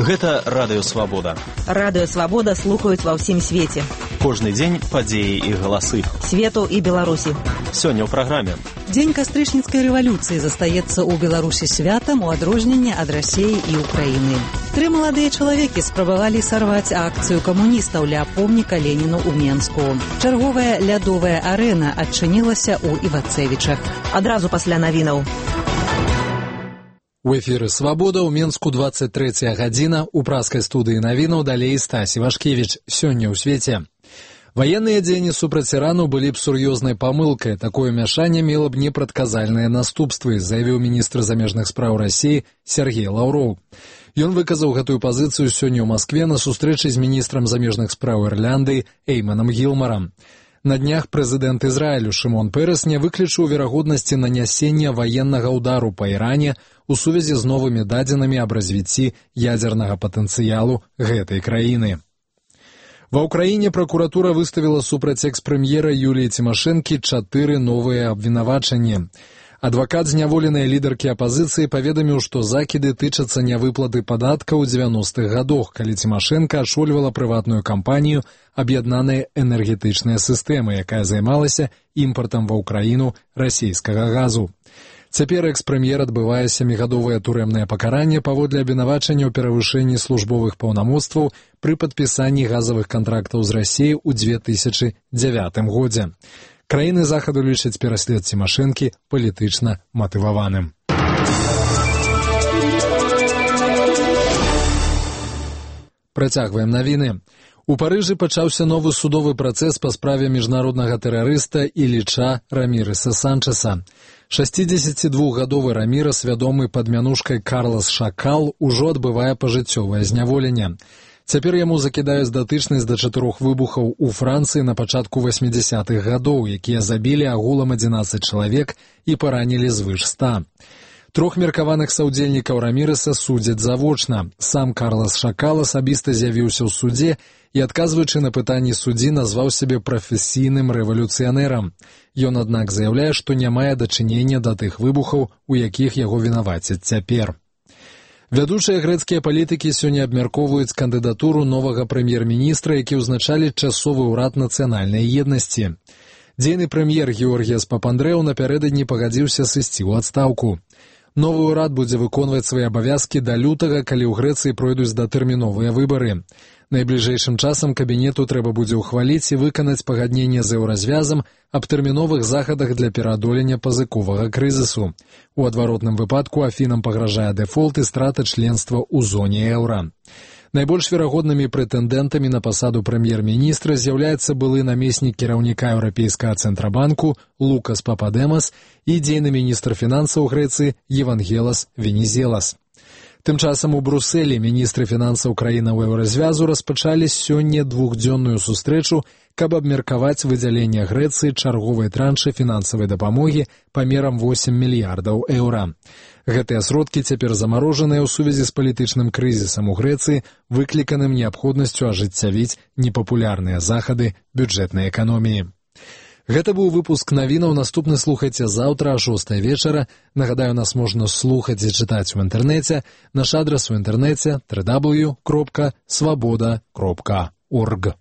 Гэта Радыё Свабода. Радыё Свабода слухаюць ва ўсім свеце. Кожны дзень падзеі і галасы. Свету і Беларусі. Сёння ў праграме. Дзень кастрычніцкай рэвалюцыі застаецца ў Беларусі святам у адрозненне ад Расіі і Украіны. 3 маладыя чалавекі спрабавалі сарваць акцыю камуністаў ля помніка Леніну ў Менску. Чарговая лядовая арэна адчынілася ў Івацевічах. Адразу пасля навінаў. У эфіры «Свабода» ў Менску 23 гадзіна. У праскай студыі навінаў далей Стась Івашкевіч. Сёння ў свеце. Ваенныя дзеянні супраць Ірану былі б сур'ёзнай памылкай. Такое мяшанне мела б непрадказальныя наступствы, заявіў міністр замежных спраў Расіі Сергей Лаўроў. Ён выказаў гэтую пазіцыю сёння ў Маскве на сустрэчы з міністрам замежных спраў Ірландыі Эйманам Гілмарам. На днях прэзідэнт Ізраілю Шымон Пэрэс не выключыў верагоднасці нанясення ваеннага ўдару па Іране у сувязі з новымі дадзенымі аб развіцці ядзернага патэнцыялу гэтай краіны. Ва ўкраіне пракуратура выставіла супраць экс-прэм'ера Юліі Цімашэнкі 4 новыя абвінавачанні. Адвакат зняволенай лідаркі апазіцыі паведаміў, што закіды тычацца нявыплаты падаткаў у 90-х гадах, калі Цімашэнка ашольвала прыватную кампанію «Аб'яднаная энергетычная сістэма», якая займалася імпартам ва ўкраіну расійскага газу. Цяпер экс-прэм'ер адбывае 7гадовае турэмнае пакаранне паводле абвінавачання ў перавышэнні службовых паўнамоцтваў пры падпісанні газавых кантрактаў з Расіяй у 2009 годзе. Краіны захаду лічаць пераслед Цімашэнкі палітычна матываваным. Працягваем навіны. У Парыжы пачаўся новы судовы працэс па справе міжнароднага тэрарыста Іліча Рамірэса Санчэса. 62гадовы Рамірес, вядомы пад мянушкай Карлас Шакал, ужо адбывае пажыццёвае зняволенне. Цяпер яму закідаюць датычнасць да 4 выбухаў у Францыі на пачатку 80-х гадоў, якія забілі агулам 11 чалавек і паранілі звыш 100. 3 меркаваных саўдзельнікаў Рамірэса судзяць завочна. Сам Карлас Шакал асабіста з'явіўся ў судзе і, адказваючы на пытанні суддзі, назваў сябе прафесійным рэвалюцыянерам. Ён, аднак, заяўляе, што не мае дачынення да тых выбухаў, у якіх яго вінавацяць цяпер. Вядучыя грэцкія палітыкі сёння абмяркоўваюць кандыдатуру новага прэм'ер-міністра, які ўзначаліць часовы ўрад нацыянальнай еднасці. Дзейны прэм'ер Георгіяс Папандрэў напярэдадні пагадзіўся сысці ў адстаўку. Новы ўрад будзе выконваць свае абавязкі да лютага, калі ў Грэцыі пройдуць датэрміновыя выбары. Найбліжэйшым часам кабінету трэба будзе ўхваліць і выканаць пагадненне з еўразвязам аб тэрміновых захадах для пераадолення пазыковага крызісу. У адваротным выпадку Афінам пагражае дэфолт і страта членства ў зоне еўра. Найбольш верагоднымі прэтэндэнтамі на пасаду прэм'ер-міністра з'яўляецца былы намеснік кіраўніка Еўрапейскага цэнтрабанку Лукас Пападэмас і дзейны міністр фінансаў Грэцыі Евангелас Венізелас. Тым часам у Брусэлі міністры фінансаў краінаў еўразвязу распачалі сёння 2-дзённую сустрэчу, каб абмеркаваць выдзяленне Грэцыі чарговай траншы фінансавай дапамогі памерам 8 мільярдаў еўра. Гэтыя сродкі цяпер замарожаныя ў сувязі з палітычным крызісам у Грэцыі, выкліканым неабходнасцю ажыццявіць непапулярныя захады бюджэтнай эканоміі. Гэта быў выпуск навінаў. Наступны слухайце заўтра о 6 вечара. Нагадаю, нас можна слухаць і чытаць у інтэрнэце. Наш адрас у інтэрнэце www.swaboda.org.